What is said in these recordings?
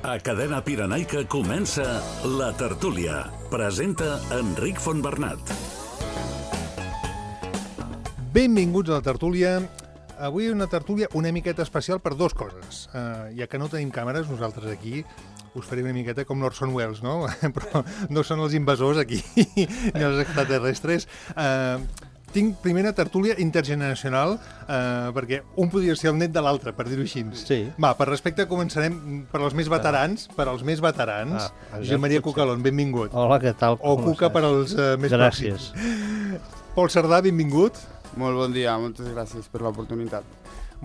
A Cadena Pirenaica comença La Tertúlia. Presenta Enric Fontbernat. Benvinguts a La Tertúlia. Avui una tertúlia una miqueta especial per dues coses. Ja que no tenim càmeres, nosaltres aquí us faré una miqueta com l'Orson Welles, no? Però no són els invasors aquí, ni els extraterrestres. Tinc primer una tertúlia intergeneracional, perquè un podria ser el net de l'altre, per dir-ho així. Sí. Va, per respecte començarem per als més veterans. Josep Maria Cucalón, benvingut. Hola, què tal? O Cuca per als més Gràcies. pròxims. Pol Cerdà, benvingut. Molt bon dia, moltes gràcies per l'oportunitat.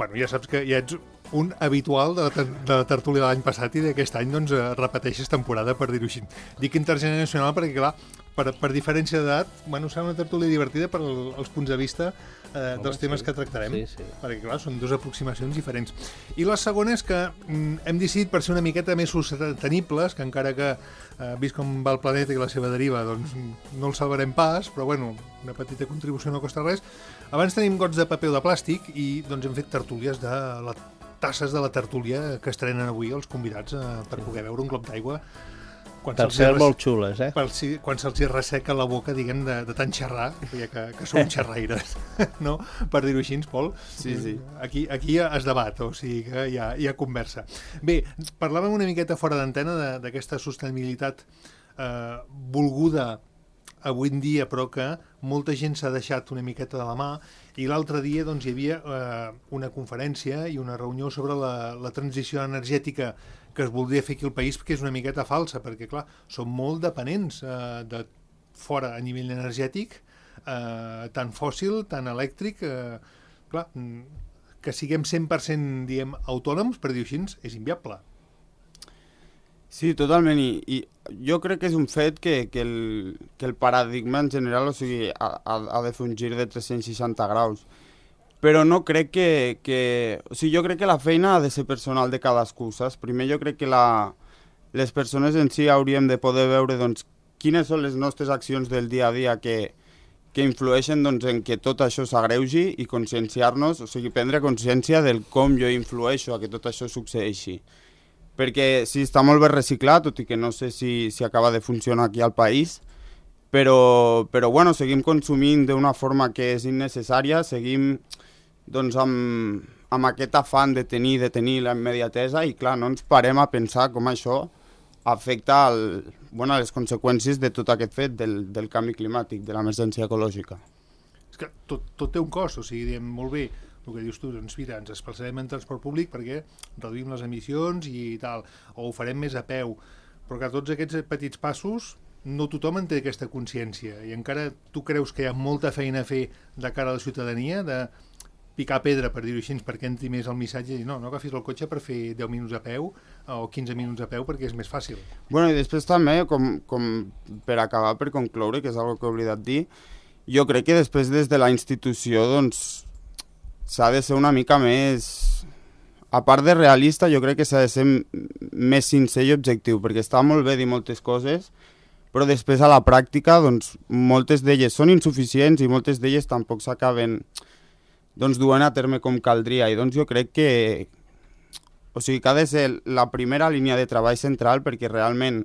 Bueno, ja saps que ja ets un habitual de la tertúlia de l'any passat i d'aquest any doncs repeteixes temporada, per dir-ho així. Dic intergeneracional perquè, clar, per diferència d'edat, bueno, serà una tertúlia divertida per als punts de vista dels temes que tractarem, perquè, clar, són dues aproximacions diferents. I la segona és que hem decidit, per ser una miqueta més sostenibles, que encara que vist com va el planeta i la seva deriva, doncs no el salvarem pas, però, bueno, una petita contribució no costa res. Abans tenim gots de paper o de plàstic i doncs hem fet tertúlies de tasses de la tertúlia que estrenen avui els convidats per poder beure un glop d'aigua. Per ser molt xules, Quan se'ls resseca la boca, diguem, de tant xerrar, ja que són xerraires, no? Per dir-ho així, Pol. Sí. Aquí es debat, o sigui que hi ha conversa. Bé, parlàvem una miqueta fora d'antena d'aquesta sostenibilitat volguda avui en dia, però que molta gent s'ha deixat una miqueta de la mà, i l'altre dia doncs, hi havia una conferència i una reunió sobre la transició energètica que es voldria fer aquí al país, que és una miqueta falsa, perquè, clar, som molt dependents de fora a nivell energètic, tant fòssil, tant elèctric, clar, que siguem 100%, diguem, autònoms, per dir-ho així, és inviable. Sí, totalment, i jo crec que és un fet que el paradigma en general, o sigui, ha de fer un gir de 360 graus. Però no crec o sigui, jo crec que la feina ha de ser personal de cadascú, saps? Primer jo crec que les persones en si hauríem de poder veure doncs, quines són les nostres accions del dia a dia que influeixen doncs, en que tot això s'agreugi i conscienciar-nos, o sigui, prendre consciència del com jo influeixo a que tot això succeeixi. Perquè sí, està molt bé reciclat, tot i que no sé si acaba de funcionar aquí al país, però bueno, seguim consumint d'una forma que és innecessària, seguim doncs, amb aquest afany de tenir la immediatesa i clar, no ens parem a pensar com això afecta les conseqüències de tot aquest fet del canvi climàtic, de l'emergència ecològica. És que tot té un cost, o sigui, diem, molt bé, el que dius tu, doncs mira, ens desplaçarem en transport públic perquè reduïm les emissions i tal, o ho farem més a peu, però que tots aquests petits passos no tothom en té aquesta consciència i encara tu creus que hi ha molta feina a fer de cara a la ciutadania, de picar pedra, per dir-ho així, perquè entri més el missatge i no agafis el cotxe per fer 10 minuts a peu o 15 minuts a peu perquè és més fàcil. Bueno, i després també, com per acabar, per concloure, que és una que he oblidat dir, jo crec que després des de la institució doncs s'ha de ser una mica més, a part de realista, jo crec que s'ha de ser més sincer i objectiu, perquè està molt bé dir moltes coses, però després a la pràctica doncs, moltes d'elles són insuficients i moltes d'elles tampoc s'acaben doncs, duent a terme com caldria. I doncs jo crec que ha de ser la primera línia de treball central perquè realment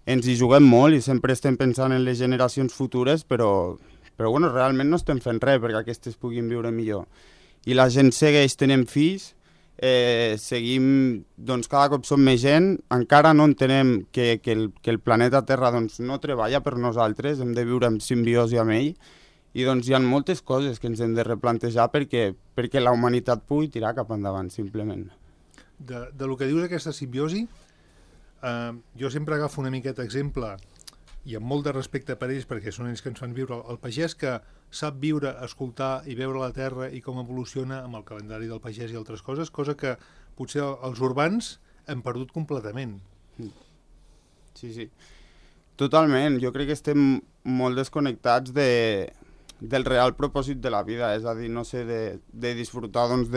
ens hi juguem molt i sempre estem pensant en les generacions futures, però bueno, realment no estem fent res perquè aquestes puguin viure millor. I la gent segueix tenint fills, seguim, doncs cada cop som més gent, encara no entenem que el planeta Terra doncs, no treballa per nosaltres, hem de viure en simbiosi amb ell, i doncs hi ha moltes coses que ens hem de replantejar perquè la humanitat pugui tirar cap endavant, simplement. De lo que dius d'aquesta simbiosi, jo sempre agafo una miqueta exemple, i amb molt de respecte per ells, perquè són ells que ens fan viure, el pagès que sap viure, escoltar i veure la terra i com evoluciona amb el calendari del pagès i altres coses, cosa que potser els urbans hem perdut completament. Sí. Totalment. Jo crec que estem molt desconnectats del real propòsit de la vida, és a dir, no sé, de disfrutar doncs,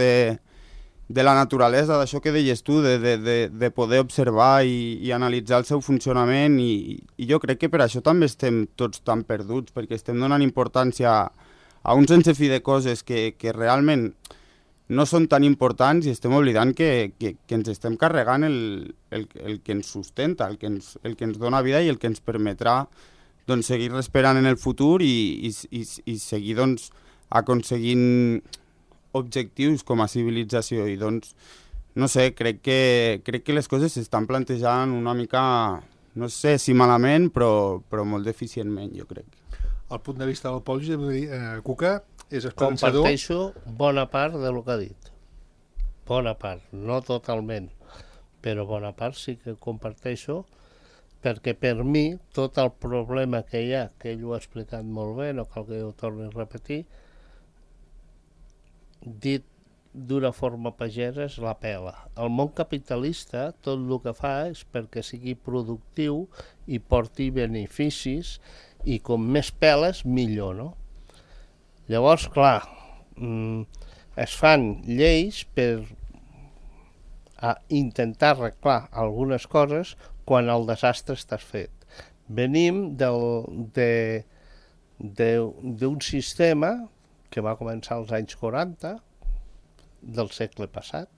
de la naturalesa, d'això que deies tu, de poder observar i analitzar el seu funcionament i jo crec que per això també estem tots tan perduts, perquè estem donant importància a un sense fi de coses que realment no són tan importants i estem oblidant que ens estem carregant el que ens sustenta, el que ens dona vida i el que ens permetrà doncs, seguir esperant en el futur i seguir doncs, aconseguint objectius com a civilització. I doncs, no sé, crec que les coses s'estan plantejant una mica, no sé si malament, però molt deficientment, jo crec. El punt de vista del Pol, Cuca, és esperançador. Comparteixo bona part del que ha dit. Bona part, no totalment, però bona part sí que comparteixo, perquè per mi tot el problema que hi ha, que ell ho ha explicat molt bé, no cal que ho torni a repetir, dit d'una forma pagesa és la pela. El món capitalista tot el que fa és perquè sigui productiu i porti beneficis i com més peles millor, no? Llavors, clar, es fan lleis per intentar arreglar algunes coses quan el desastre està fet. Venim d'un sistema que va començar als anys 40 del segle passat,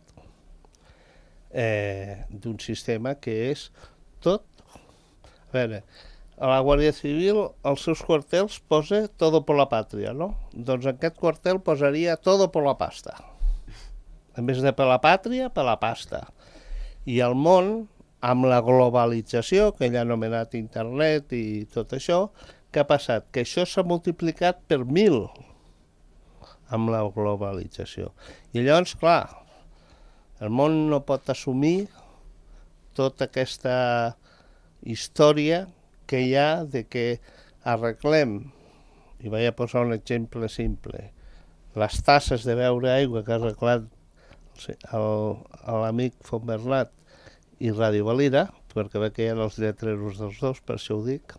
d'un sistema que és tot... A veure, a la Guàrdia Civil, als seus quartels posa todo por la patria, no? Doncs en aquest quartel posaria todo por la pasta. En vez de per la pàtria, per la pasta. I el món, amb la globalització, que ell ha anomenat internet i tot això, què ha passat? Que això s'ha multiplicat per 1000 amb la globalització. I llavors, clar, el món no pot assumir tota aquesta història que hi ha de que arreglem, i vaig a posar un exemple simple, les tasses de beure aigua que ha arreglat l'amic Fontbernat i Ràdio Valira, perquè veig que hi ha els lletreros dels dos, per això ho dic,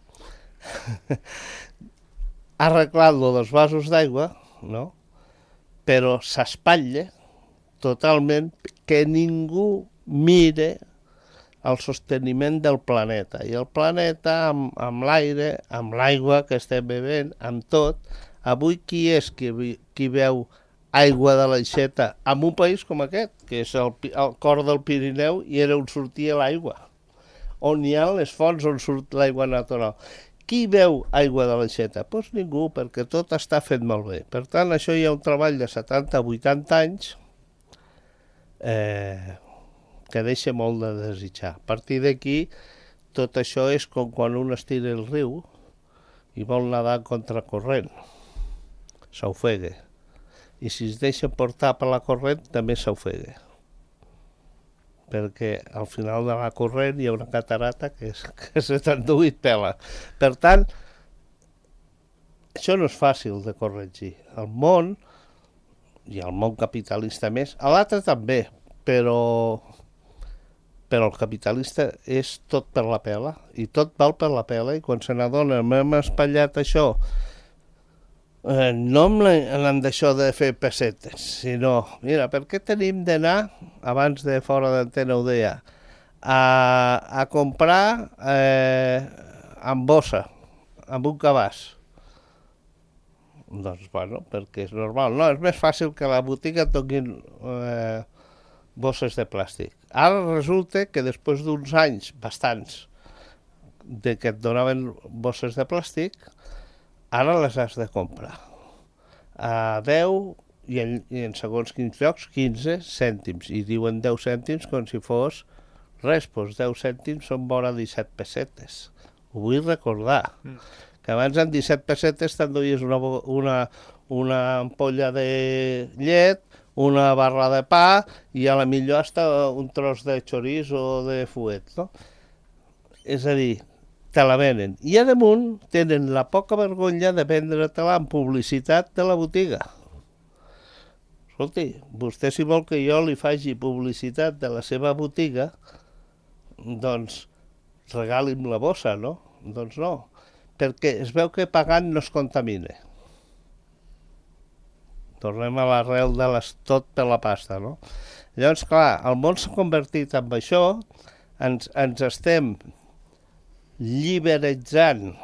ha arreglat-lo dels vasos d'aigua, no? Però s'espatlla totalment que ningú mire el sosteniment del planeta. I el planeta, amb l'aire, amb l'aigua que estem bevent, amb tot, avui qui és qui veu aigua de l'aixeta en un país com aquest, que és el cor del Pirineu i era on sortia l'aigua, on hi ha les fonts on surt l'aigua natural. Qui veu aigua de l'aixeta? Doncs ningú, perquè tot està fet molt bé. Per tant, això hi ha un treball de 70-80 anys que deixa molt de desitjar. A partir d'aquí, tot això és com quan un estira el riu i vol nedar contra corrent. S'ofega. I si es deixa portar per la corrent, també s'ofega. Perquè al final de la corrent hi ha una catarata que se t'endú i et pela. Per tant, això no és fàcil de corregir. El món, i el món capitalista més, l'altre també, però el capitalista és tot per la pela, i tot val per la pela, i quan se n'adona, m'hem espatllat això, no en d'això de fer pessetes, sinó, mira, per què tenim d'anar, abans de fora d'antena ho deia, a comprar amb bossa, amb un cabàs? Doncs, bueno, perquè és normal. No, és més fàcil que a la botiga et donin bosses de plàstic. Ara resulta que després d'uns anys, bastants, de que et donaven bosses de plàstic, ara les has de comprar. A 10 i en segons quins llocs 15 cèntims. I diuen 10 cèntims com si fos res, doncs 10 cèntims són vora 17 pessetes. Ho vull recordar. Que abans en 17 pessetes t'enduies una ampolla de llet, una barra de pa i a la millor hasta un tros de chorizo o de fuet, no? És a dir, te la venen. I a damunt tenen la poca vergonya de vendre-te-la en publicitat de la botiga. Escolti, vostè si vol que jo li faci publicitat de la seva botiga, doncs regali'm la bossa, no? Doncs no, perquè es veu que pagant no es contamina. Tornem a l'arrel de tot per la pasta, no? Llavors, clar, el món s'ha convertit en això, ens estem liberalitzant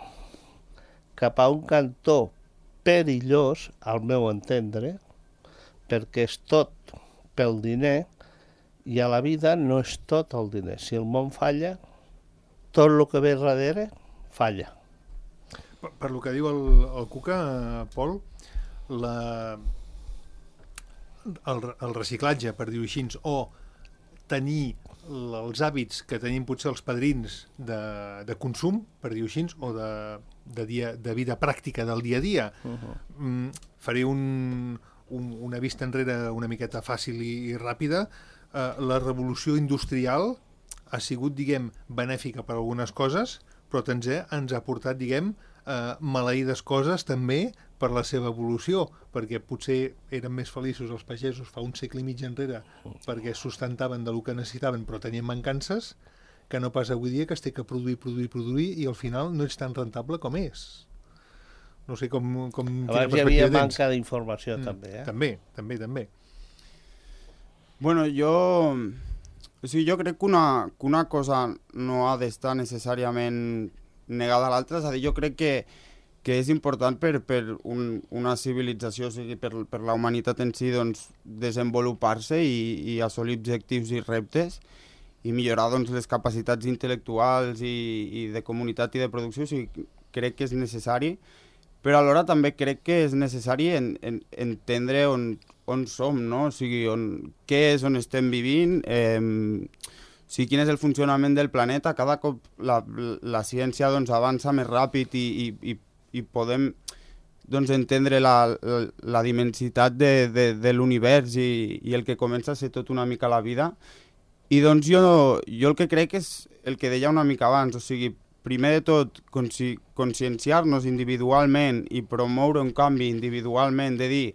cap a un cantó perillós, al meu entendre, perquè és tot pel diner, i a la vida no és tot el diner. Si el món falla, tot el que ve darrere falla. Per lo que diu el Cuca, Pol, el reciclatge, per dir-ho així, o tenir els hàbits que tenim potser els padrins de consum, per dir-ho així, o de vida pràctica del dia a dia. Faré una vista enrere una miqueta fàcil i ràpida. La revolució industrial ha sigut, diguem, benèfica per algunes coses, però també ens ha portat, diguem, maleïdes coses també per la seva evolució, perquè potser eren més feliços els pagesos fa un segle i mig enrere perquè sustentaven del que necessitaven però tenien mancances, que no pas avui dia que es té que produir i al final no és tan rentable com és. No sé com abans hi havia manca d'informació també, També. Bueno, jo crec que una cosa no ha d'estar necessàriament negada a l'altra, és a dir, jo crec que és important per una civilització, o sigui, per la humanitat en si, doncs, desenvolupar-se i assolir objectius i reptes i millorar, doncs, les capacitats intel·lectuals i de comunitat i de producció, o sigui, crec que és necessari, però alhora també crec que és necessari entendre on som, no? O sigui, què és on estem vivint, quin és el funcionament del planeta. Cada cop la ciència doncs, avança més ràpid i podem doncs, entendre la dimensitat de l'univers i el que comença a ser tot una mica la vida. I doncs jo el que crec és el que deia una mica abans, o sigui, primer de tot, conscienciar-nos individualment i promoure un canvi individualment, de dir,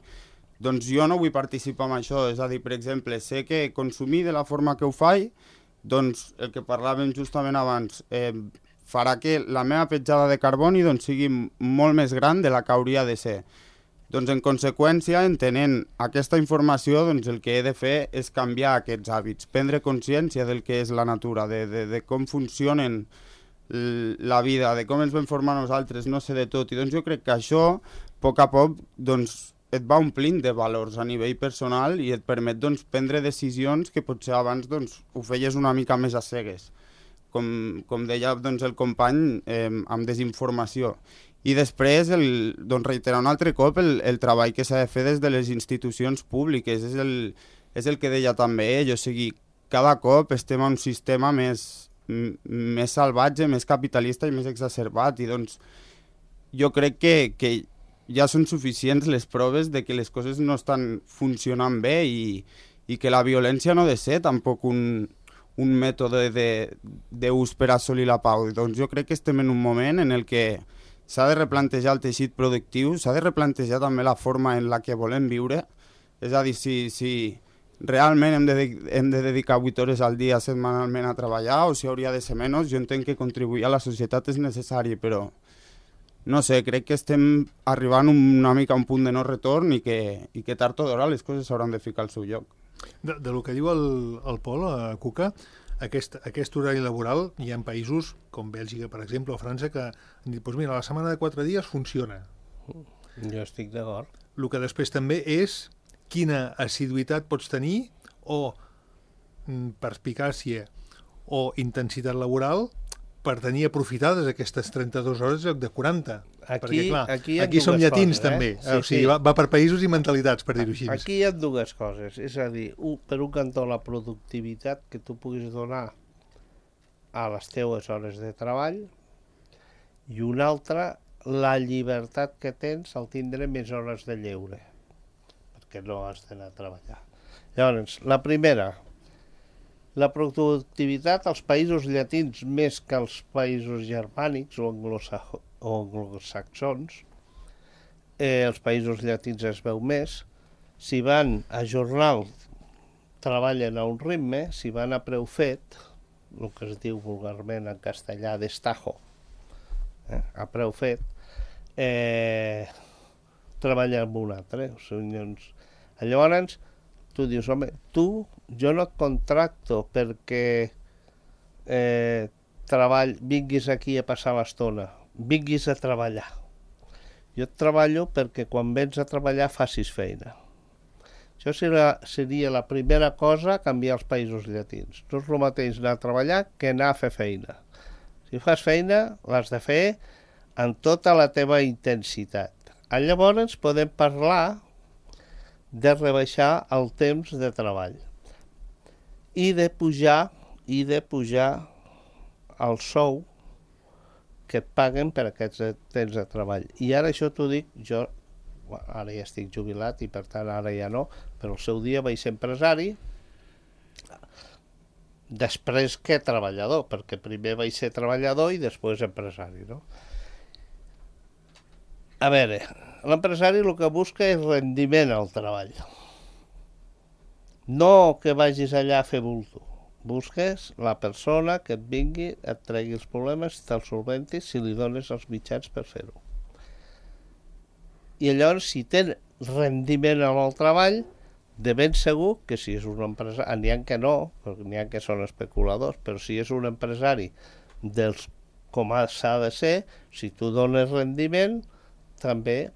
doncs jo no vull participar en això, és a dir, per exemple, sé que consumir de la forma que ho faig, doncs el que parlàvem justament abans, farà que la meva petjada de carboni doncs, sigui molt més gran de la que hauria de ser. Doncs en conseqüència, entenent aquesta informació, doncs el que he de fer és canviar aquests hàbits, prendre consciència del que és la natura, de com funcionen la vida, de com ens vam formar nosaltres, no sé de tot, i doncs jo crec que això, a poc a poc, doncs et va omplint de valors a nivell personal i et permet doncs, prendre decisions que potser abans doncs, ho feies una mica més a cegues, com deia doncs, el company, amb desinformació. I després, doncs, reiterar un altre cop el treball que s'ha de fer des de les institucions públiques, és el que deia també ell, o sigui, cada cop estem en un sistema més salvatge, més capitalista i més exacerbat, i doncs jo crec que ja són suficients les proves de que les coses no estan funcionant bé i que la violència no ha de ser tampoc un mètode d'ús per assolir la pau. Doncs jo crec que estem en un moment en el que s'ha de replantejar el teixit productiu, s'ha de replantejar també la forma en la que volem viure, és a dir, si realment hem de dedicar 8 hores al dia setmanalment a treballar o si hauria de ser menys. Jo entenc que contribuir a la societat és necessari, però no sé, crec que estem arribant una mica a un punt de no retorn i que tard o d'hora les coses s'hauran de ficar al seu lloc. De lo que diu el Pol, Cuca, aquest horari laboral hi ha països com Bèlgica, per exemple, o França, que han dit, doncs mira, la setmana de 4 dies funciona. Jo estic d'acord. El que després també és quina assiduïtat pots tenir o perspicàcia o intensitat laboral per tenir aprofitades aquestes 32 hores en lloc de 40. Perquè, clar, aquí som llatins, també. Sí, o sigui, va per països i mentalitats, per dir-ho així. Aquí hi ha dues coses. És a dir, per un cantó, la productivitat que tu puguis donar a les teues hores de treball, i una altra, la llibertat que tens al tindre més hores de lleure, perquè no has d'anar a treballar. Llavors, la primera, la productivitat als països llatins més que als països germànics o anglosaxons, els països llatins es veu més. Si van a jornal, treballen a un ritme. Si van a preu fet, el que es diu vulgarment en castellà destajo, a preu fet, treballen amb un altre. Llavors, tu dius, home, jo no et contracto perquè vinguis aquí a passar l'estona, vinguis a treballar. Jo et treballo perquè quan vens a treballar facis feina. Això seria la primera cosa a canviar als països llatins. No és el mateix anar a treballar que anar a fer feina. Si fas feina, l'has de fer amb tota la teva intensitat. Llavors podem parlar de rebaixar el temps de treball i de pujar el sou que et paguen per aquests temps de treball. I ara això t'ho dic, jo ara ja estic jubilat i per tant ara ja no, però al seu dia vaig ser empresari, després que treballador, perquè primer vaig ser treballador i després empresari, no? A veure, l'empresari el que busca és rendiment al treball. No que vagis allà a fer bulto. Busques la persona que et vingui, et tregui els problemes, te'ls solventis si li dones els mitjans per fer-ho. I llavors, si tens rendiment en el treball, de ben segur que si és un empresari, n'hi ha que no, perquè n'hi ha que són especuladors, però si és un empresari dels com s'ha de ser, si tu dones rendiment, també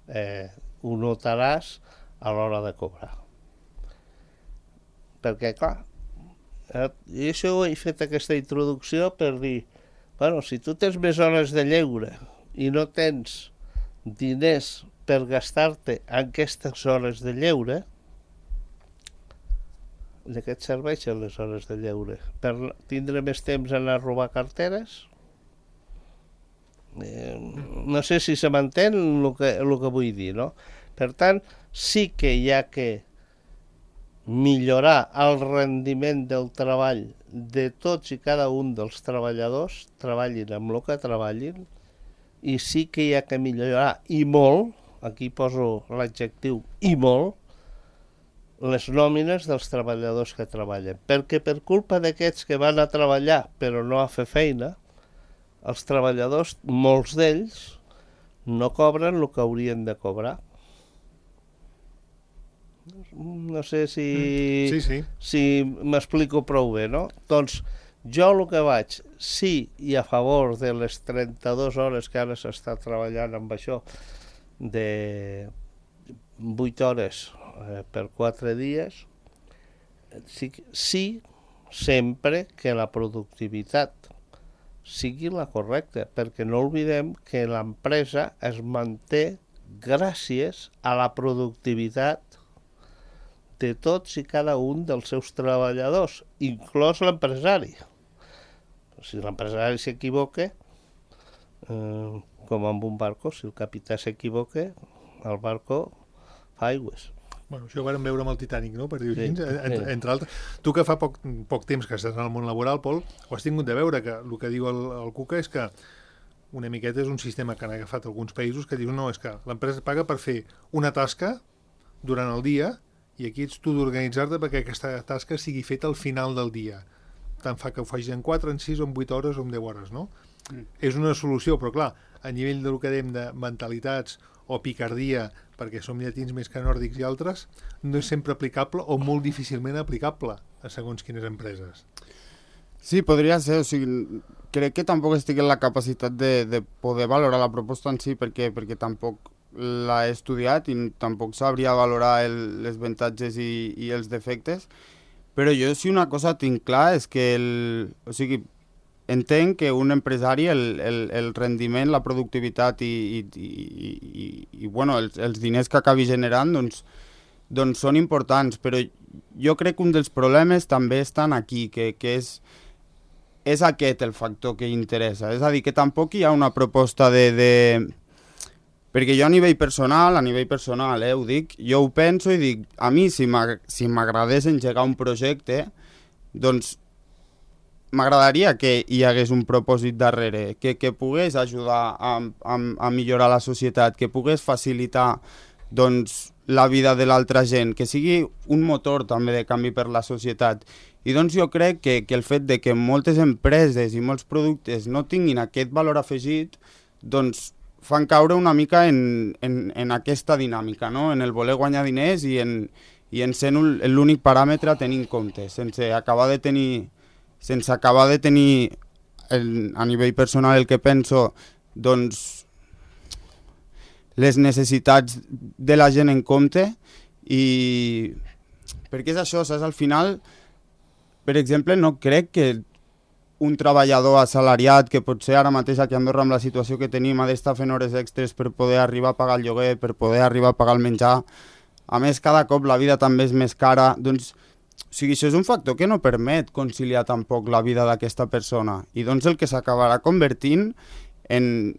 ho notaràs a l'hora de cobrar. Perquè, clar, i això he fet aquesta introducció per dir, bueno, si tu tens més hores de lleure i no tens diners per gastar-te en aquestes hores de lleure, de què et serveixen les hores de lleure? Per tindre més temps a anar a robar carteres? No sé si se m'entén el que vull dir, no? Per tant, sí que hi ha que millorar el rendiment del treball de tots i cada un dels treballadors, treballin amb el que treballin, i sí que hi ha que millorar, i molt, aquí poso l'adjectiu i molt, les nòmines dels treballadors que treballen. Perquè per culpa d'aquests que van a treballar però no a fer feina, els treballadors, molts d'ells, no cobren el que haurien de cobrar. No sé si m'explico prou bé, no? Doncs jo el que vaig, sí, i a favor de les 32 hores que ara s'està treballant amb això, de 8 hores per 4 dies, sí, sempre que la productivitat sigui la correcta, perquè no oblidem que l'empresa es manté gràcies a la productivitat de tots i cada un dels seus treballadors, inclòs l'empresari. Si l'empresari s'equivoca, com amb un barco, si el capità s'equivoca, el barco fa aigües. Bueno, això ho vam veure amb el Titanic, no? Per dir-ho així, entre altres. Tu que fa poc temps que estàs en el món laboral, Pol, ho has tingut de veure, que el que diu el Cuca és que una miqueta és un sistema que han agafat alguns països que diuen no, és que l'empresa et paga per fer una tasca durant el dia i aquí ets tu d'organitzar-te perquè aquesta tasca sigui feta al final del dia. Tant fa que ho facis en 4, en 6, o en 8 hores o en 10 hores, no? És una solució, però clar, a nivell del que dèiem de mentalitats o picardia, perquè som llatins més que nòrdics i altres, no és sempre aplicable o molt difícilment aplicable a segons quines empreses. Sí, podria ser, o sigui, crec que tampoc estic en la capacitat de poder valorar la proposta en si, perquè tampoc l'he estudiat i tampoc sabria valorar els avantatges i els defectes, però jo sí una cosa tinc clar és que o sigui, entenc que un empresari el rendiment, la productivitat i bueno, els diners que acabi generant doncs són importants, però jo crec que un dels problemes també estan aquí, que és aquest el factor que interessa. És a dir, que tampoc hi ha una proposta perquè jo a nivell personal, ho dic, jo ho penso i dic, a mi si m'agradés engegar un projecte, doncs m'agradaria que hi hagués un propòsit darrere, que pogués ajudar a millorar la societat, que pogués facilitar doncs, la vida de l'altra gent, que sigui un motor també de canvi per la societat. I doncs jo crec que el fet de que moltes empreses i molts productes no tinguin aquest valor afegit, doncs fan caure una mica en aquesta dinàmica, no? En el voler guanyar diners i en ser l'únic paràmetre a tenir en compte, sense acabar de tenir a nivell personal el que penso, doncs les necessitats de la gent en compte I perquè és això, saps? Al final, per exemple, no crec que un treballador assalariat que potser ara mateix aquí a Andorra amb la situació que tenim ha d'estar fent hores extres per poder arribar a pagar el lloguer, per poder arribar a pagar el menjar. A més, cada cop la vida també és més cara. Doncs, o sigui, això és un factor que no permet conciliar tampoc la vida d'aquesta persona. I doncs el que s'acabarà convertint en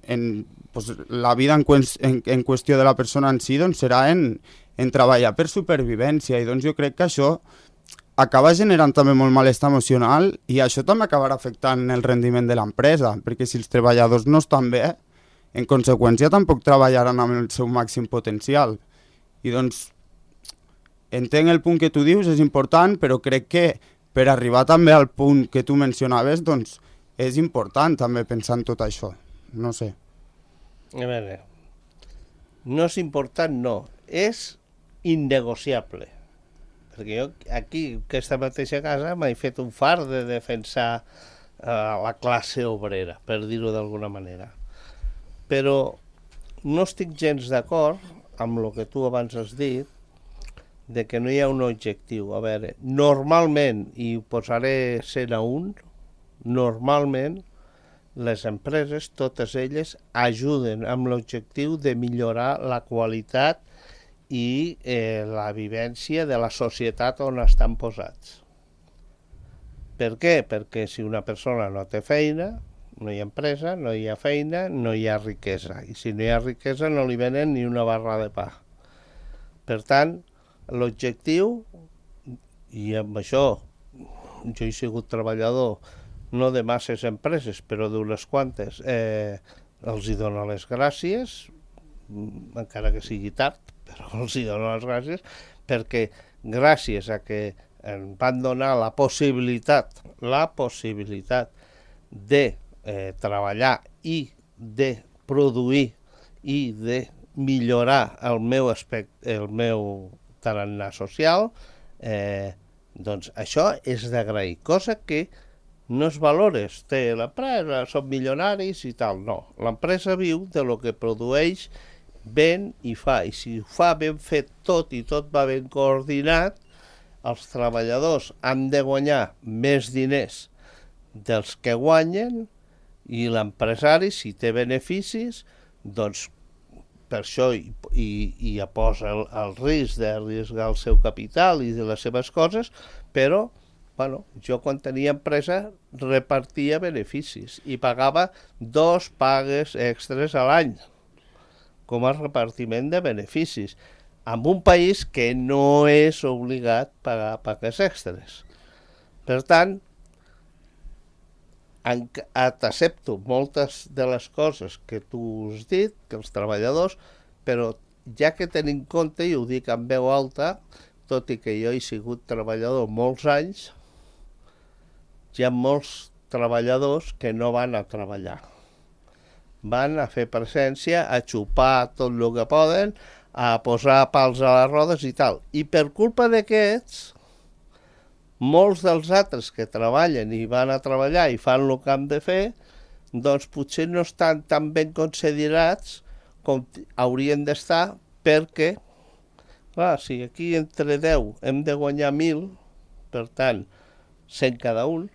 pues, la vida en qüestió de la persona en si doncs, serà en treballar per supervivència. I doncs jo crec que això acaba generant també molt malestar emocional i això també acabarà afectant el rendiment de l'empresa, perquè si els treballadors no estan bé, en conseqüència tampoc treballaran amb el seu màxim potencial. I doncs, entenc el punt que tu dius, és important, però crec que per arribar també al punt que tu mencionaves, doncs és important també pensar en tot això. No sé. A veure, no és important, no, és innegociable. Perquè jo aquí, aquesta mateixa casa, m'he fet un far de defensar la classe obrera, per dir-ho d'alguna manera. Però no estic gens d'acord amb el que tu abans has dit, de que no hi ha un objectiu. A veure, normalment, i ho posaré 100 a 1, normalment les empreses, totes elles, ajuden amb l'objectiu de millorar la qualitat i la vivència de la societat on estan posats. Per què? Perquè si una persona no té feina, no hi ha empresa, no hi ha feina, no hi ha riquesa. I si no hi ha riquesa no li venen ni una barra de pa. Per tant, l'objectiu, i amb això jo he sigut treballador no de masses empreses, però d'unes quantes, els hi dono les gràcies, encara que sigui tard, però els hi dono les gràcies, perquè gràcies a que em van donar la possibilitat de treballar i de produir i de millorar el meu tarannà social, doncs això és d'agrair, cosa que no es valores, té l'empresa, són milionaris i tal, no. L'empresa viu de lo que produeix, ven i fa, i si ho fa ben fet tot i tot va ben coordinat, els treballadors han de guanyar més diners dels que guanyen i l'empresari, si té beneficis, doncs per això hi posa el risc d'arriscar el seu capital i de les seves coses, però bueno, jo quan tenia empresa repartia beneficis i pagava 2 pagues extres a l'any com a repartiment de beneficis, en un país que no és obligat a pagar pagues extres. Per tant, t'accepto moltes de les coses que tu has dit, que els treballadors, però ja que tenim en compte, i ho dic en veu alta, tot i que jo he sigut treballador molts anys, hi ha molts treballadors que no van a treballar. Van a fer presència, a xupar tot el que poden, a posar pals a les rodes i tal. I per culpa d'aquests, molts dels altres que treballen i van a treballar i fan el que han de fer, doncs potser no estan tan ben considerats com haurien d'estar, perquè, clar, si aquí entre 10 hem de guanyar 1.000, per tant, 100 cada un,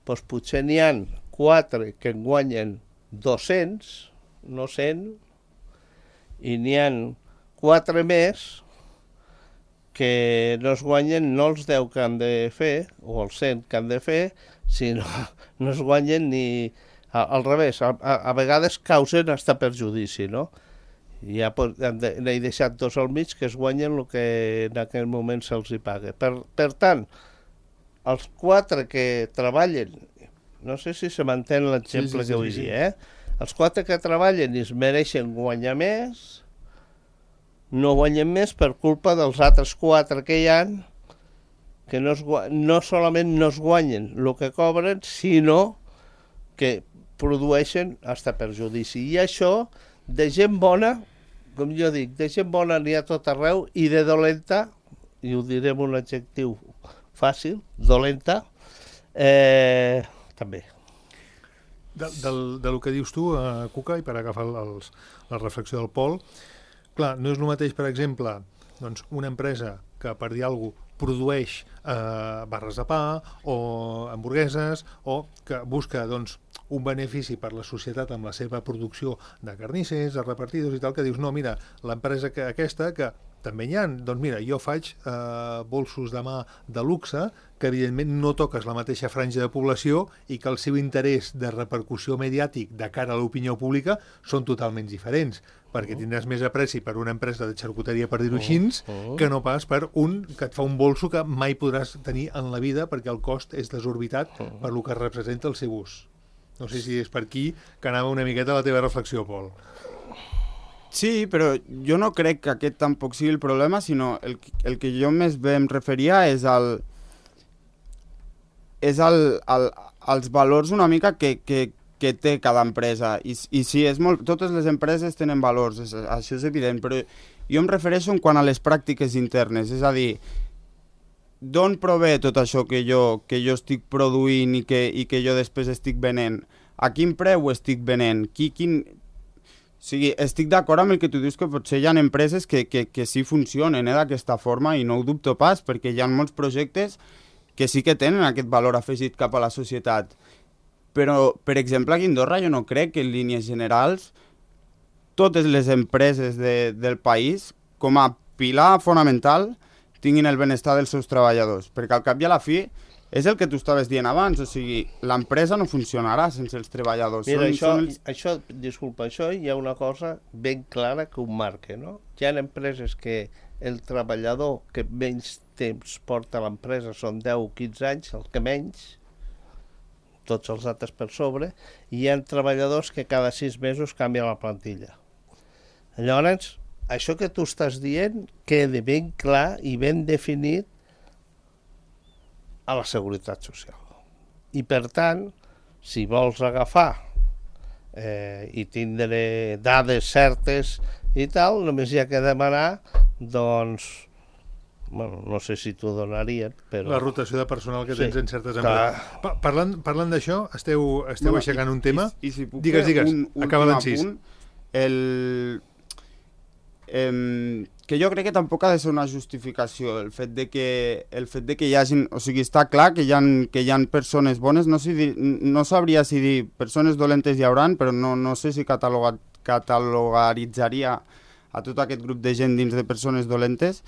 doncs potser n'hi ha 4 que en guanyen 200, no 100, i n'hi ha 4 més que no es guanyen no els 10 que han de fer, o els 100 que han de fer, sinó no es guanyen ni... Al revés, a vegades causen hasta perjudici, no? Ja n'he deixat 2 al mig que es guanyen el que en aquell moment se'ls hi paga. Per tant, els 4 que treballen, no sé si se m'entén l'exemple que vull dir, els 4 que treballen i es mereixen guanyar més, no guanyen més per culpa dels altres 4 que hi ha, que no solament no es guanyen el que cobren, sinó que produeixen hasta perjudici. I això, de gent bona, com jo dic, de gent bona n'hi ha tot arreu, i de dolenta, i ho diré amb un adjectiu fàcil, dolenta, també. Del que dius tu, Cuca, i per agafar la reflexió del Pol, clar, no és el mateix, per exemple, doncs, una empresa que, per dir alguna cosa, produeix barres de pa o hamburgueses o que busca doncs, un benefici per la societat amb la seva producció de carnissers, de repartidors i tal, que dius, no, mira, l'empresa aquesta, que també n'hi ha, doncs mira, jo faig bolsos de mà de luxe, que evidentment no toques la mateixa franja de població i que el seu interès de repercussió mediàtic de cara a l'opinió pública són totalment diferents, perquè tindràs més apreci per una empresa de xarcuteria, per dir-ho així, que no pas per un que et fa un bolso que mai podràs tenir en la vida perquè el cost és desorbitat per lo que representa el seu ús. No sé si és per aquí que anava una miqueta la teva reflexió, Pol. Sí, però jo no crec que aquest tampoc sigui el problema, sinó el que jo més bé em referia és als valors una mica que té cada empresa. I sí, totes les empreses tenen valors, això és evident, però jo em refereixo en quant a les pràctiques internes, és a dir, d'on prové tot això que jo estic produint i que jo després estic venent? A quin preu ho estic venent? O sigui, estic d'acord amb el que tu dius, que potser hi ha empreses que sí funcionen d'aquesta forma, i no ho dubto pas, perquè hi ha molts projectes que sí que tenen aquest valor afegit cap a la societat. Però, per exemple, aquí a Andorra jo no crec que en línies generals totes les empreses del país, com a pilar fonamental, tinguin el benestar dels seus treballadors, perquè al cap i a la fi és el que tu estaves dient abans, o sigui, l'empresa no funcionarà sense els treballadors. Mira, disculpa, això hi ha una cosa ben clara que ho marca, no? Hi ha empreses que el treballador que menys temps porta a l'empresa són 10 o 15 anys, el que menys, tots els altres per sobre, i hi ha treballadors que cada 6 mesos canvien la plantilla. Llavors, això que tu estàs dient queda ben clar i ben definit a la Seguretat Social. I per tant, si vols agafar i tindre dades certes i tal, només hi ha que demanar, doncs, bueno, no sé si t'ho donarien, però... La rotació de personal que tens en certes empreses. Parlant d'això, esteu aixecant un tema? I si puc digues, acaba l'encís. Que jo crec que tampoc ha de ser una justificació el fet de que hi hagin, o sigui, està clar que hi ha persones bones, no sabria si dir persones dolentes hi hauran, però no sé si catalogaritzaria a tot aquest grup de gent dins de persones dolentes,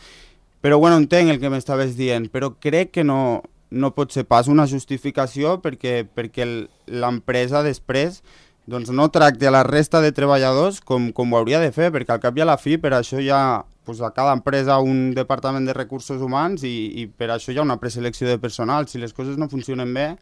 però bueno, entenc el que m'estaves dient, però crec que no pot ser pas una justificació perquè l'empresa després doncs no tracti a la resta de treballadors com ho hauria de fer, perquè al cap i a la fi per això hi ha a cada empresa un departament de recursos humans i per això hi ha una preselecció de personal. Si les coses no funcionen bé,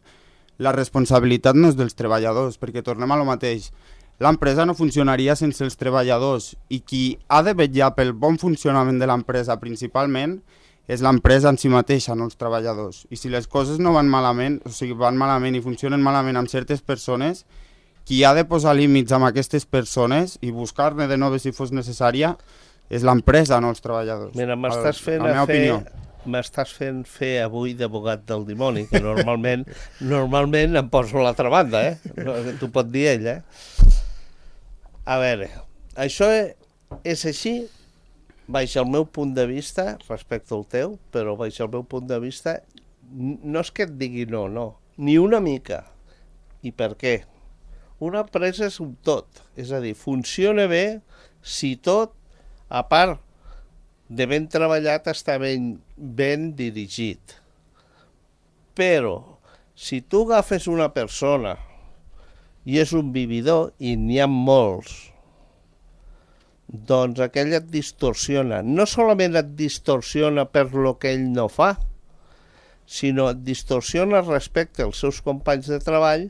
la responsabilitat no és dels treballadors, perquè tornem a lo mateix. L'empresa no funcionaria sense els treballadors i qui ha de vetllar pel bon funcionament de l'empresa principalment és l'empresa en si mateixa, no els treballadors. I si les coses no van malament, o sigui, van malament i funcionen malament amb certes persones, qui ha de posar límits amb aquestes persones i buscar-ne de noves si fos necessària és l'empresa, no els treballadors. Mira, m'estàs fent fer avui d'abogat del dimoni, que normalment em poso a l'altra banda, t'ho pot dir ell, A veure, això és així, baix el meu punt de vista, respecte al teu, però baix el meu punt de vista, no és que et digui no, ni una mica. I per què? Una empresa és un tot, és a dir, funciona bé si tot, a part de ben treballat, està ben dirigit. Però, si tu agafes una persona i és un vividor, i n'hi ha molts, doncs aquell et distorsiona. No solament et distorsiona per lo que ell no fa, sinó et distorsiona respecte als seus companys de treball,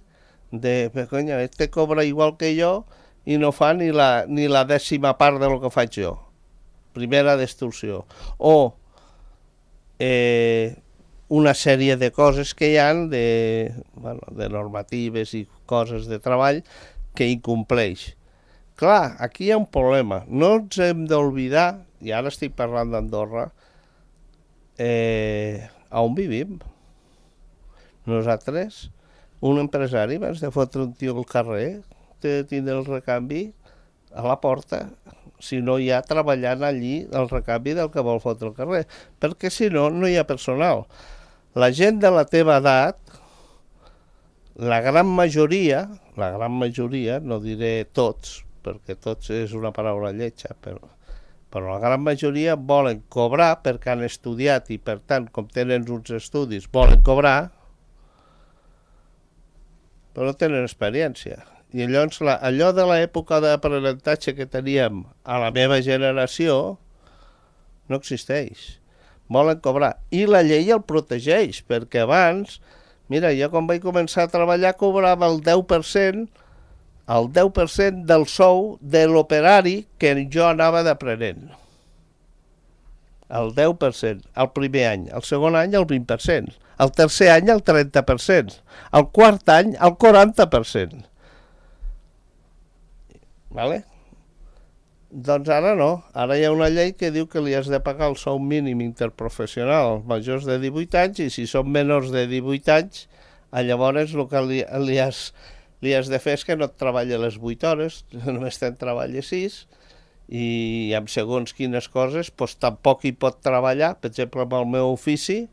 conya, este cobra igual que jo i no fa ni la 10ª part de lo que faig jo. Primera distorsió. O una sèrie de coses que hi ha, de normatives i coses de treball que incompleix. Clar, aquí hi ha un problema. No ens hem d'oblidar, i ara estic parlant d'Andorra, on vivim. Nosaltres, un empresari, abans de fotre un tio al carrer, de tindre el recanvi a la porta, si no hi ha treballant allí el recanvi del que vol fotre al carrer, perquè si no, no hi ha personal. La gent de la teva edat, la gran majoria, no diré tots, perquè tots és una paraula lletja, però la gran majoria volen cobrar perquè han estudiat i, per tant, com tenen uns estudis, volen cobrar, però no tenen experiència. I llavors allò de l'època d'aprenentatge que teníem a la meva generació no existeix. Volen cobrar. I la llei el protegeix, perquè abans, mira, jo quan vaig començar a treballar cobrava el 10% del sou de l'operari que jo anava d'aprenent. El 10%, el primer any. El segon any, el 20%. El tercer any, el 30%. El quart any, el 40%. Vale? Doncs ara no. Ara hi ha una llei que diu que li has de pagar el sou mínim interprofessional als majors de 18 anys i si són menors de 18 anys, llavors el que li has de fer és que no et treballi les 8 hores, només te'n treballi 6 i amb segons quines coses doncs tampoc hi pot treballar. Per exemple, amb el meu ofici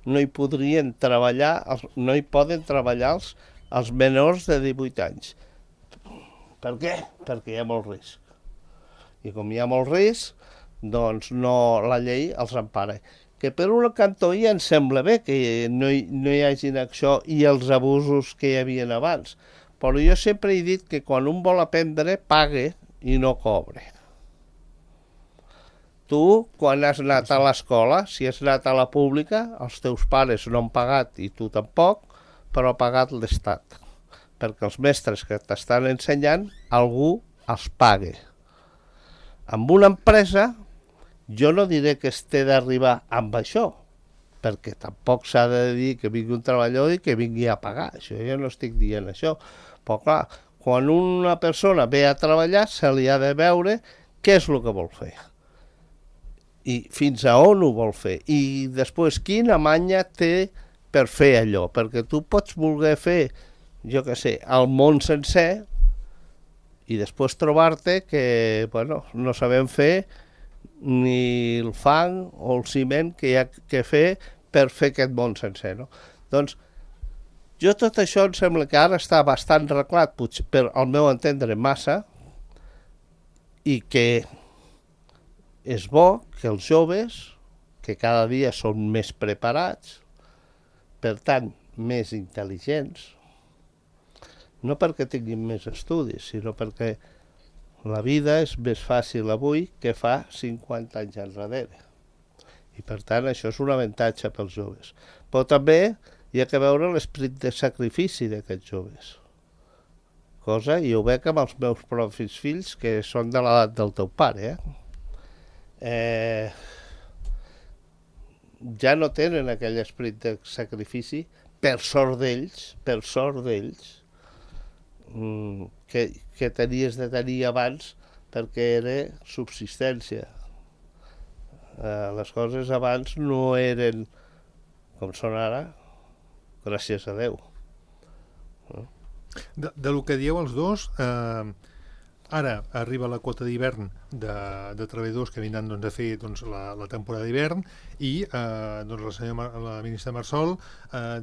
no hi poden treballar els menors de 18 anys. Per què? Perquè hi ha molt risc. I com hi ha molt risc, doncs la llei els empara. Que per un cantó ja em sembla bé que no hi hagin això i els abusos que hi havia abans. Però jo sempre he dit que quan un vol aprendre, pague i no cobre. Tu, quan has anat a l'escola, si has anat a la pública, els teus pares no han pagat i tu tampoc, però ha pagat l'Estat. Perquè els mestres que t'estan ensenyant, algú els pague. Amb una empresa, jo no diré que es té d'arribar amb això, perquè tampoc s'ha de dir que vingui un treballador i que vingui a pagar. Això jo no estic dient això. Però clar, quan una persona ve a treballar, se li ha de veure què és el que vol fer. I fins a on ho vol fer. I després, quina manya té per fer allò. Perquè tu pots voler fer, jo què sé, el món sencer i després trobar-te que no sabem fer ni el fang o el ciment que hi ha que fer per fer aquest món sencer. No? Doncs jo tot això em sembla que ara està bastant arreglat, potser per al meu entendre massa, i que és bo que els joves, que cada dia són més preparats, per tant, més intel·ligents, no perquè tinguin més estudis, sinó perquè la vida és més fàcil avui que fa 50 anys enrere. I per tant això és un avantatge pels joves. Però també hi ha que veure l'esperit de sacrifici d'aquests joves. Cosa, i ho veig amb els meus propis fills, que són de l'edat del teu pare. Ja no tenen aquell esperit de sacrifici, per sort d'ells, que tenies de tenir abans perquè era subsistència. Les coses abans no eren com són ara, gràcies a Déu. De lo que dieu els dos, ara arriba la quota d'hivern de treballadors que vindran a fer la temporada d'hivern i la ministra Marsol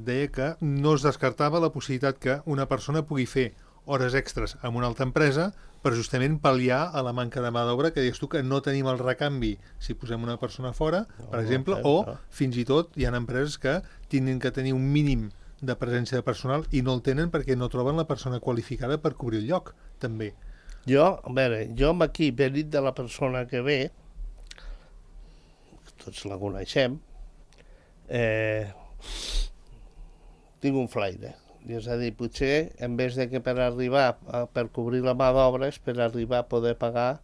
deia que no es descartava la possibilitat que una persona pugui fer hores extres amb una altra empresa per justament pal·liar a la manca de mà d'obra que dius tu que no tenim el recanvi si posem una persona fora, per exemple, o fins i tot hi ha empreses que tenen que tenir un mínim de presència de personal i no el tenen perquè no troben la persona qualificada per cobrir el lloc, també. Jo amb aquí, venint de la persona que ve, tots la coneixem, tinc un flaire. És a dir, potser, en vez de que per cobrir la mà d'obra, és per arribar a poder pagar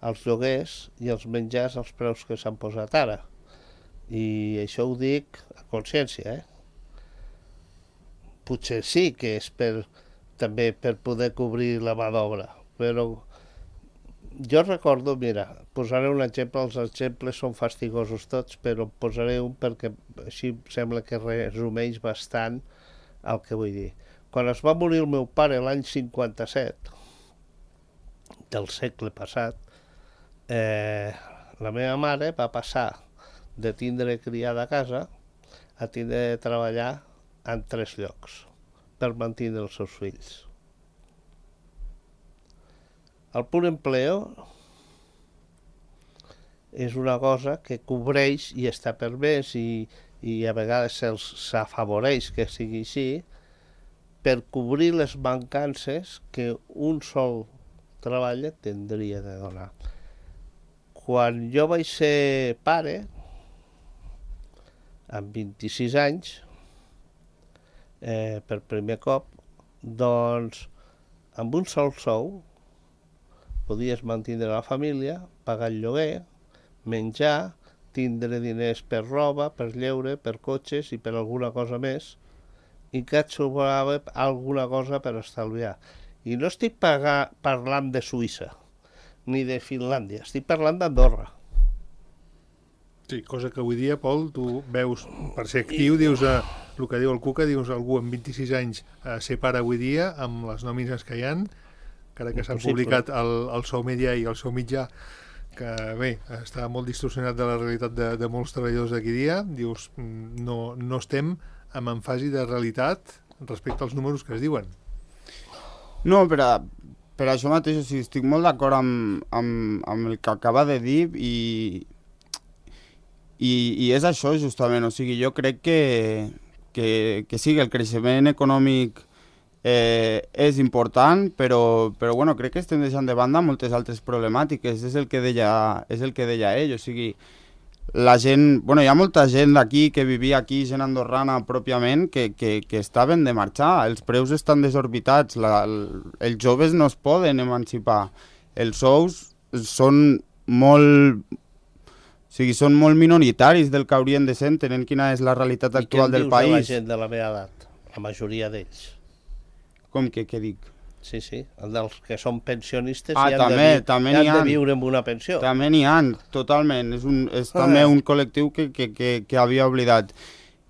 els lloguers i els menjars als preus que s'han posat ara. I això ho dic a consciència, Potser sí que és també per poder cobrir la mà d'obra, però jo recordo, mira, posaré un exemple, els exemples són fastigosos tots, però posaré un perquè així sembla que resumeix bastant el que vull dir. Quan es va morir el meu pare l'any 57 del segle passat, la meva mare va passar de tindre criada a casa a tindre de treballar en 3 llocs per mantenir els seus fills. El pur empleo és una cosa que cobreix i està permès i a vegades s'afavoreix que sigui així per cobrir les mancances que un sol treball tindria de donar. Quan jo vaig ser pare, amb 26 anys, per primer cop, doncs, amb un sol sou podies mantenir la família, pagar el lloguer, menjar, tindre diners per roba, per lleure, per cotxes i per alguna cosa més, i que et sobrava alguna cosa per estalviar. I no estic parlant de Suïssa, ni de Finlàndia, estic parlant d'Andorra. Sí, cosa que avui dia, Pol, tu veus, per ser actiu, dius el que diu el Cuca, dius algú amb 26 anys ser pare avui dia, amb les nòmines que hi ha, encara que s'han publicat el Sou Media i el Sou Mitjà, que bé, està molt distorsionat de la realitat de molts treballadors d'aquí dia, dius, no estem en fase de realitat respecte als números que es diuen. No, per això mateix, o sigui, estic molt d'acord amb el que acaba de dir i és això justament, o sigui, jo crec que sí, que el creixement econòmic és important, però bueno, crec que estem deixant de banda moltes altres problemàtiques, és el que deia ell, o sigui, la gent, bueno, hi ha molta gent d'aquí que vivia aquí, gent andorrana pròpiament, que estaven de marxar, els preus estan desorbitats, els joves no es poden emancipar, els sous són molt... O sigui, són molt minoritaris del que haurien de ser, tenint quina és la realitat actual del país. I què dius de la gent de la meva edat? La majoria d'ells. Com que què dic? Sí, dels que són pensionistes i han de viure amb una pensió. També n'hi ha, totalment. És també un col·lectiu que havia oblidat.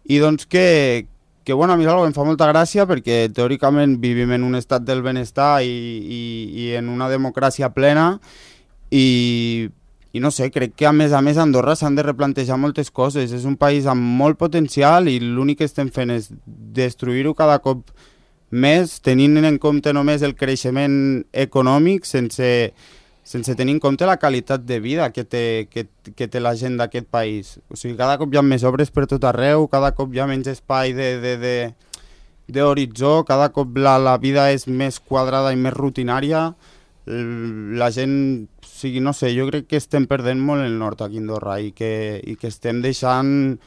I doncs que bueno, a mi em fa molta gràcia perquè teòricament vivim en un estat del benestar i en una democràcia plena i no sé, crec que a més Andorra s'han de replantejar moltes coses. És un país amb molt potencial i l'únic que estem fent és destruir-ho cada cop més, tenint en compte només el creixement econòmic sense tenir en compte la qualitat de vida que té la gent d'aquest país. O sigui, cada cop hi ha més obres per tot arreu, cada cop hi ha menys espai d'horitzó, cada cop la vida és més quadrada i més rutinària. La gent, o sigui, no sé, jo crec que estem perdent molt el nord aquí a Andorra i que estem deixant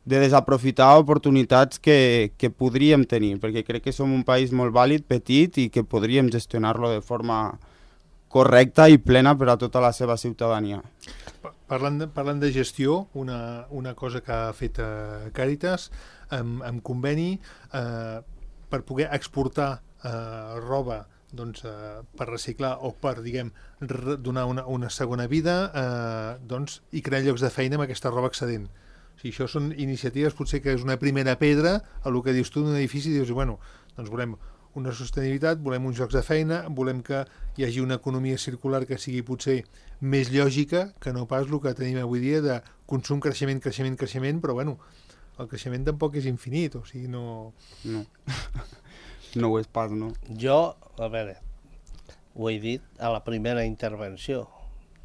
de desaprofitar oportunitats que podríem tenir, perquè crec que som un país molt vàlid, petit, i que podríem gestionar-lo de forma correcta i plena per a tota la seva ciutadania. Parlant de gestió, una cosa que ha fet Càritas amb conveni per poder exportar roba doncs, per reciclar o per, diguem, donar una segona vida doncs, i crear llocs de feina amb aquesta roba excedent. O sigui, això són iniciatives, potser que és una primera pedra a el que dius tu d'un edifici, dius, bueno, doncs volem una sostenibilitat, volem uns llocs de feina, volem que hi hagi una economia circular que sigui potser més lògica que no pas el que tenim avui dia de consum, creixement, però bueno, el creixement tampoc és infinit, o sigui, no... No ho és pas, no? Jo, a veure, ho he dit a la primera intervenció,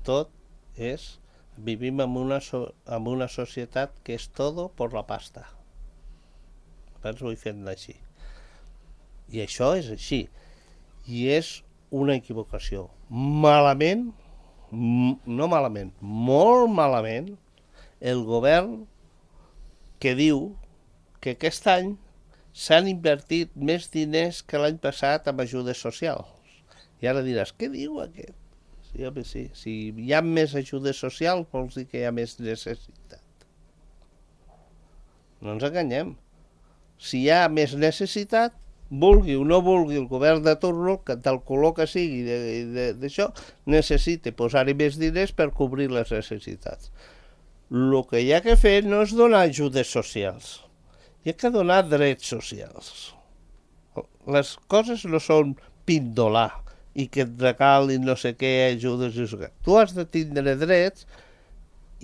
tot és... Vivim en una societat que és todo por la pasta. Abans ho he fet així. I això és així. I és una equivocació. Malament, no malament, molt malament, el govern que diu que aquest any s'han invertit més diners que l'any passat en ajudes socials. I ara diràs, què diu aquest? Sí, home, sí. Si hi ha més ajudes socials, vols dir que hi ha més necessitat. No ens enganyem. Si hi ha més necessitat, vulgui o no vulgui el govern de turno, del color que sigui d'això, necessita posar-hi més diners per cobrir les necessitats. El que hi ha que fer no és donar ajudes socials. Hi ha que donar drets socials. Les coses no són pindolar. i que et regalin no sé què, ajudes i no sé què. Tu has de tindre drets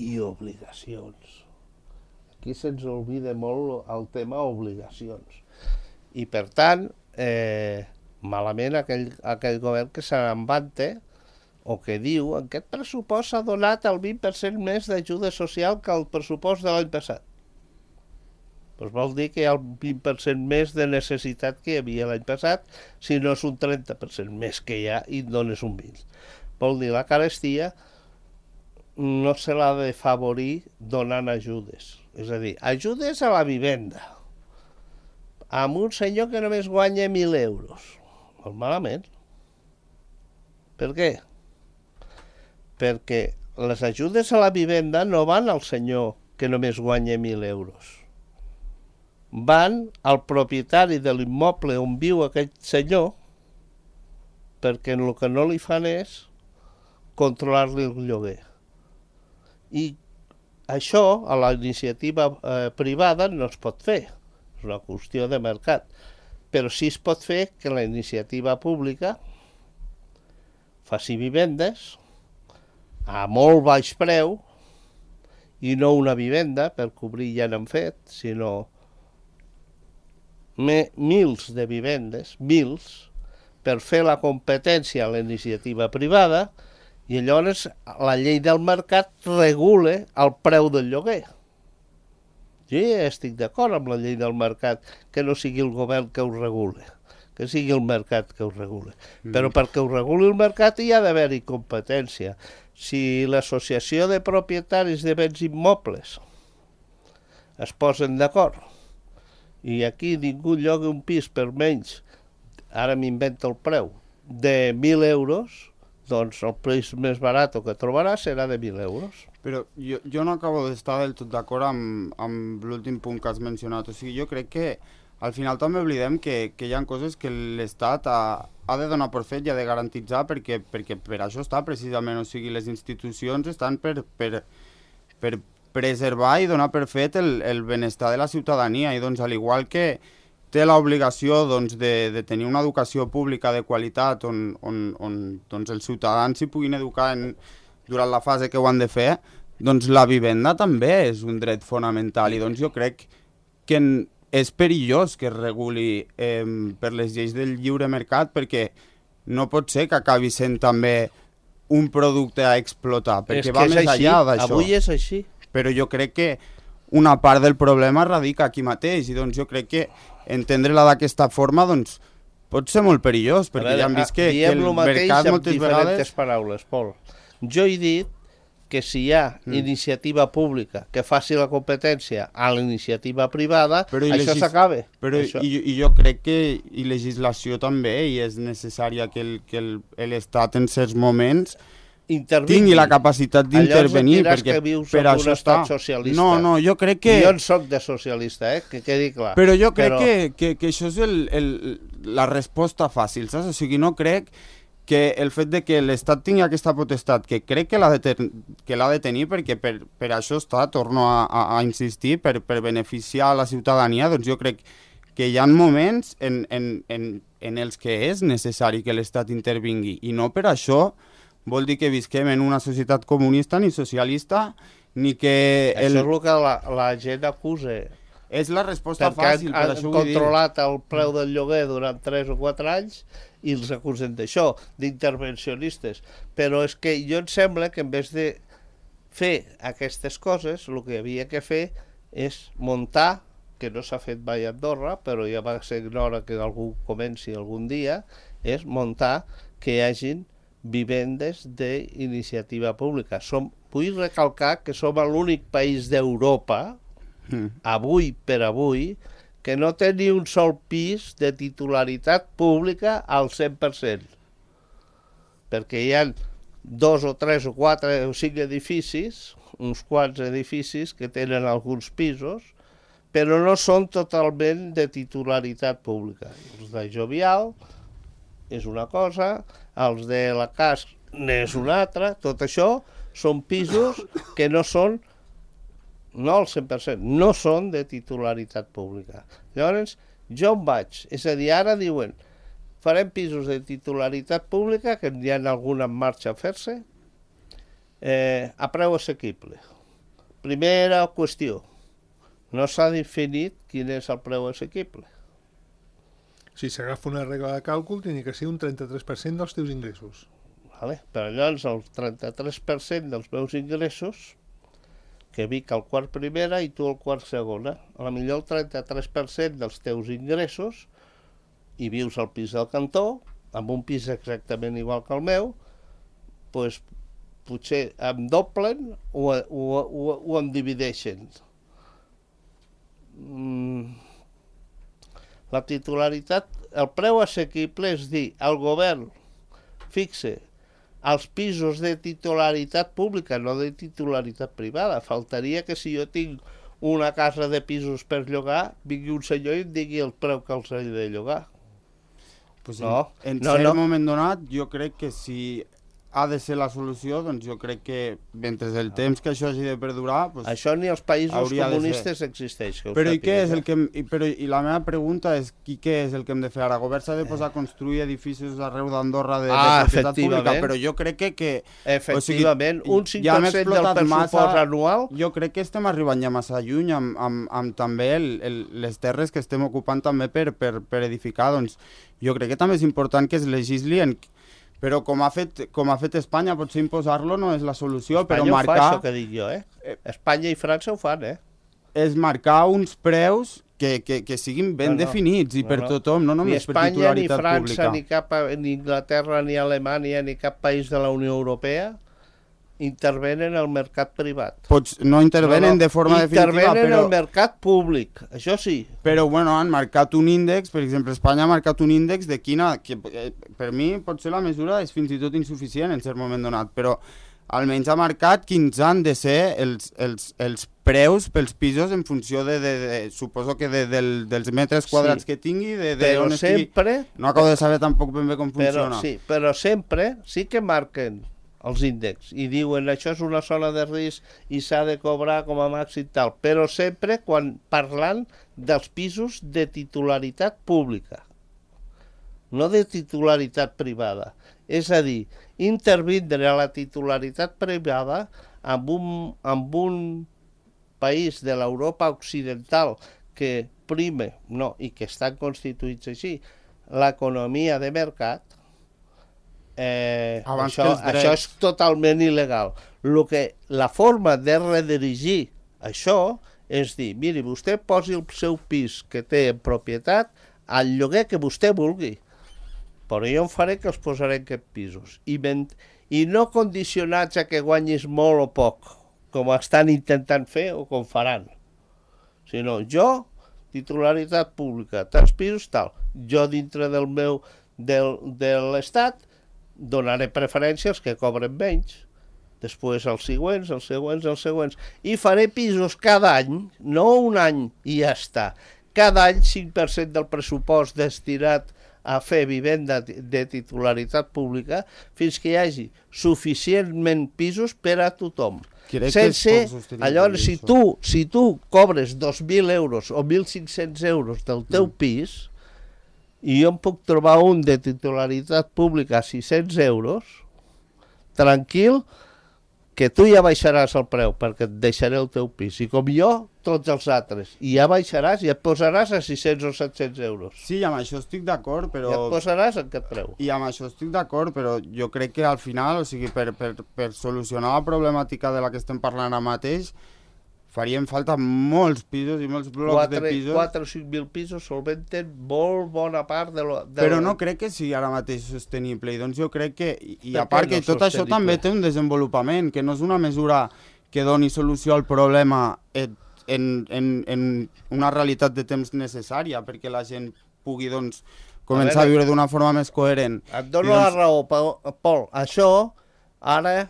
i obligacions. Aquí se'ns oblida molt el tema obligacions. I per tant, malament aquell govern que se n'envante o que diu que aquest pressupost s'ha donat el 20% més d'ajuda social que el pressupost de l'any passat. Doncs vol dir que hi ha el 20% més de necessitat que hi havia l'any passat, si no és un 30% més que hi ha i dones un 20%. Vol dir la carestia no se l'ha de favorir donant ajudes. És a dir, ajudes a la vivenda amb un senyor que només guanya 1.000 euros. Molt malament. Per què? Perquè les ajudes a la vivenda no van al senyor que només guanya 1.000 euros. Van al propietari de l'immoble on viu aquest senyor, perquè el que no li fan és controlar-li el lloguer. I això a la iniciativa privada no es pot fer, és una qüestió de mercat, però sí es pot fer que la iniciativa pública faci vivendes a molt baix preu, i no una vivenda, per cobrir ja n'han fet, sinó mils de vivendes, per fer la competència a la iniciativa privada, i llavors la llei del mercat regula el preu del lloguer. Jo ja estic d'acord amb la llei del mercat, que no sigui el govern que ho regule, que sigui el mercat que ho regule. Però perquè ho reguli el mercat hi ha d'haver-hi competència. Si l'associació de propietaris de béns immobles es posen d'acord i aquí ningú lloga un pis per menys, ara m'invento el preu, de 1.000 euros, doncs el preu més barat que trobarà serà de 1.000 euros. Però jo no acabo d'estar del tot d'acord amb l'últim punt que has mencionat. O sigui, jo crec que al final també oblidem que hi ha coses que l'Estat ha de donar per fet i ha de garantitzar perquè per això està precisament. O sigui, les institucions estan per preservar i donar per fet el benestar de la ciutadania i doncs al igual que té l'obligació doncs, de tenir una educació pública de qualitat on doncs, els ciutadans s'hi puguin educar durant la fase que ho han de fer, doncs la vivenda també és un dret fonamental i doncs jo crec que és perillós que es reguli per les lleis del lliure mercat perquè no pot ser que acabi sent també un producte a explotar, perquè va més enllà d'això. Avui és així. Però jo crec que una part del problema radica aquí mateix i doncs jo crec que entendre-la d'aquesta forma doncs pot ser molt perillós, perquè ja hem vist que el mercat moltes vegades... Diem el mateix amb diferents paraules, Pol. Jo he dit que si hi ha iniciativa pública que faci la competència a la iniciativa privada, això s'acaba. Però i jo crec que i legislació també, i és necessària que l'Estat en certs moments tingui la capacitat d'intervenir, perquè per això està... No, jo crec que... Jo en soc de socialista, que quedi clar. Però jo crec que això és la resposta fàcil, saps? O sigui, no crec que el fet de que l'Estat tingui aquesta potestat, que crec que l'ha de tenir, perquè per això està, torno a insistir, per beneficiar a la ciutadania, doncs jo crec que hi ha moments en els que és necessari que l'Estat intervingui, i no per això vol dir que visquem en una societat comunista ni socialista, ni que... Això és el que la gent acusa. És la resposta fàcil, per això ho vull dir. Perquè han controlat el preu del lloguer durant 3 o 4 anys i els acusen d'això, d'intervencionistes. Però és que jo em sembla que en vez de fer aquestes coses, el que havia que fer és muntar, que no s'ha fet mai a Andorra, però ja va ser hora que algú comenci algun dia, és muntar que hi hagin vivendes d'iniciativa pública. Vull recalcar que som l'únic país d'Europa, avui per avui, que no té ni un sol pis de titularitat pública al 100%. Perquè hi ha 2 o 3 o 4 o 5 edificis, uns quants edificis que tenen alguns pisos, però no són totalment de titularitat pública. Els de Jovial és una cosa, els de la CAS n'és una altra, tot això són pisos que no són, no al 100%, no són de titularitat pública. Llavors, jo em vaig, és a dir, ara diuen, farem pisos de titularitat pública, que hi ha algun en marxa a fer-se, a preu assequible. Primera qüestió, no s'ha definit quin és el preu assequible. Si s'agafa una regla de càlcul, tenia que ser un 33% dels teus ingressos. Vale? Però llavors el 33% dels meus ingressos, que vic al quart primera i tu al quart segona, a la millor el 33% dels teus ingressos i vius al pis del cantó, amb un pis exactament igual que el meu, doncs potser em doblen o em divideixen. La titularitat, el preu assequible és dir, el govern fixe els pisos de titularitat pública, no de titularitat privada. Faltaria que si jo tinc una casa de pisos per llogar, vingui un senyor i em digui el preu que els he de llogar. Pues No, en no, cert no. moment donat, jo crec que si ha de ser la solució, doncs jo crec que mentre el temps que això hagi de perdurar... Pues, Això ni als països hauria de comunistes existeix. Que ho però i què és sàpigues, el que... I la meva pregunta és què és el que hem de fer ara? El govern s'ha de posar a construir edificis arreu d'Andorra de propietat pública, efectivament. però jo crec que Efectivament, un 5% ja hem del explotat pressupost anual... Jo crec que estem arribant ja massa lluny amb també les terres que estem ocupant també per edificar. Doncs jo crec que també és important que es legisli però com ha fet Espanya, potser imposar-lo no és la solució, però Espanya ho fa, marcar... això que dic jo, Espanya i França ho fan, És marcar uns preus que siguin ben definits i per tothom, no només per titularitat pública. Ni Espanya, ni França, ni Inglaterra, ni Alemanya, ni cap país de la Unió Europea intervenen al mercat privat. No intervenen de forma definitiva, intervenen però... al mercat públic, això sí. Però, bueno, han marcat un índex, per exemple, Espanya ha marcat un índex de quina... que per mi potser la mesura és fins i tot insuficient en cert moment donat, però almenys ha marcat quins han de ser els preus pels pisos en funció suposo que dels metres quadrats que tingui, però sempre... No acabo de saber tampoc ben bé com funciona. Però sempre sí que marquen els índexs i diuen això és una zona de risc i s'ha de cobrar com a màxim tal, però sempre parlant dels pisos de titularitat pública, no de titularitat privada. És a dir, intervindre a la titularitat privada amb un país de l'Europa occidental que prime, i que estan constituïts així, l'economia de mercat, això és totalment il·legal. La forma de redirigir això és dir, miri, vostè posi el seu pis que té en propietat al lloguer que vostè vulgui, però jo em faré que els posaré en aquests pisos. I no condicionats a que guanyis molt o poc, com estan intentant fer o com faran, sinó jo, titularitat pública, tants pisos, tal. Jo dintre de l'Estat donaré preferència als que cobren menys, després els següents, i faré pisos cada any, no un any i ja està, cada any 5% del pressupost destinat a fer vivenda de titularitat pública fins que hi hagi suficientment pisos per a tothom. Llavors, si tu cobres 2.000 euros o 1.500 euros del teu pis, i jo em puc trobar un de titularitat pública a 600 euros, tranquil, que tu ja baixaràs el preu perquè et deixaré el teu pis. I com jo, tots els altres. I ja baixaràs i et posaràs a 600 o 700 euros. Sí, amb això estic d'acord, però... I et posaràs en aquest preu. I amb això estic d'acord, però jo crec que al final, o sigui, per solucionar la problemàtica de la que estem parlant ara mateix, farien falta molts pisos i molts blocs de pisos. 4 o 5.000 pisos solventen molt bona part de Però no crec que sigui ara mateix sostenible. I doncs jo crec que... I a part que tot això també té un desenvolupament, que no és una mesura que doni solució al problema en una realitat de temps necessària, perquè la gent pugui, doncs, començar a viure d'una forma més coherent. Et dono la raó, Pol. Això, ara...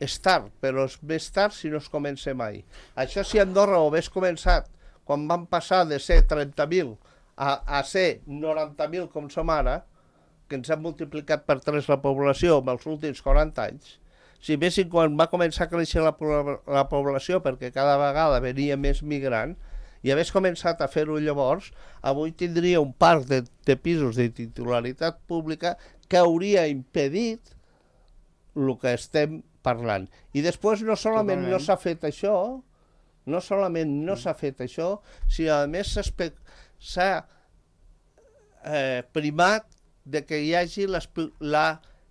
és tard, però és més tard si no es comença mai. Això si Andorra ho hagués començat quan van passar de ser 30.000 a ser 90.000 com som ara, que ens han multiplicat per 3 la població en els últims 40 anys, si veiessin quan va començar a créixer la població perquè cada vegada venia més migrant i hagués començat a fer-ho llavors, avui tindria un parc de pisos de titularitat pública que hauria impedit el que estem parlant. I després no solament no s'ha fet això, sinó a més s'ha primat de que hi hagi la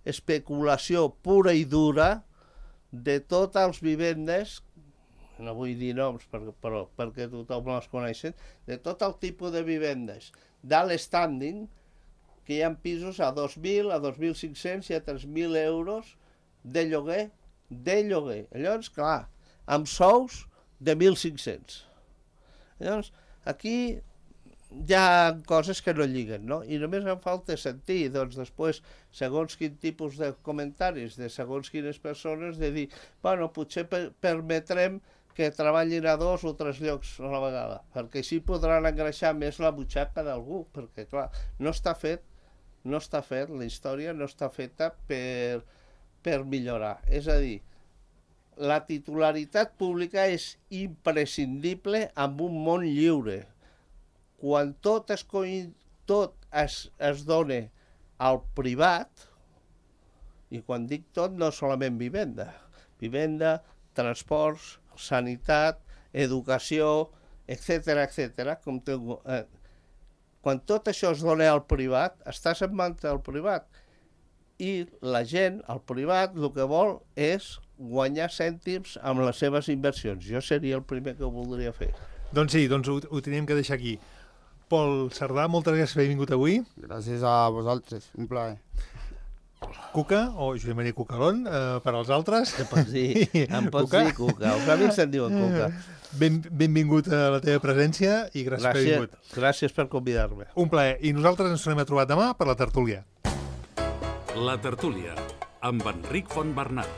especulació pura i dura de totes les vivendes, no vull dir noms però perquè tothom les coneixen, de tot el tipus de vivendes d'alt standing, que hi ha pisos a 2.000, a 2.500 i a 3.000 euros de lloguer. Llavors, clar, amb sous de 1.500. Llavors, aquí hi ha coses que no lliguen, no? I només em falta sentir, doncs, després, segons quin tipus de comentaris de segons quines persones, de dir, bueno, potser permetrem que treballin a 2 o 3 llocs a la vegada, perquè així podran engreixar més la butxaca d'algú, perquè, clar, no està fet, la història no està feta per millorar. És a dir, la titularitat pública és imprescindible en un món lliure. Quan tot es dona al privat, i quan dic tot no solament vivenda, transports, sanitat, educació, etc. Quan tot això es dona al privat, estàs en mans del privat. I la gent, el privat, el que vol és guanyar cèntims amb les seves inversions. Jo seria el primer que ho voldria fer. Doncs sí, ho tenim que deixar aquí. Pol Cerdà, moltes gràcies per haver vingut avui. Gràcies a vosaltres, un plaer. Cuca, o Josep Maria Cucalón, per als altres. Em pots dir Cuca. Els amics se'n diuen Cuca. Benvingut a la teva presència i gràcies per haver vingut. Gràcies per convidar-me. Un plaer. I nosaltres ens tornem a trobar demà per la tertúlia. La tertúlia, amb Enric Fontbernat.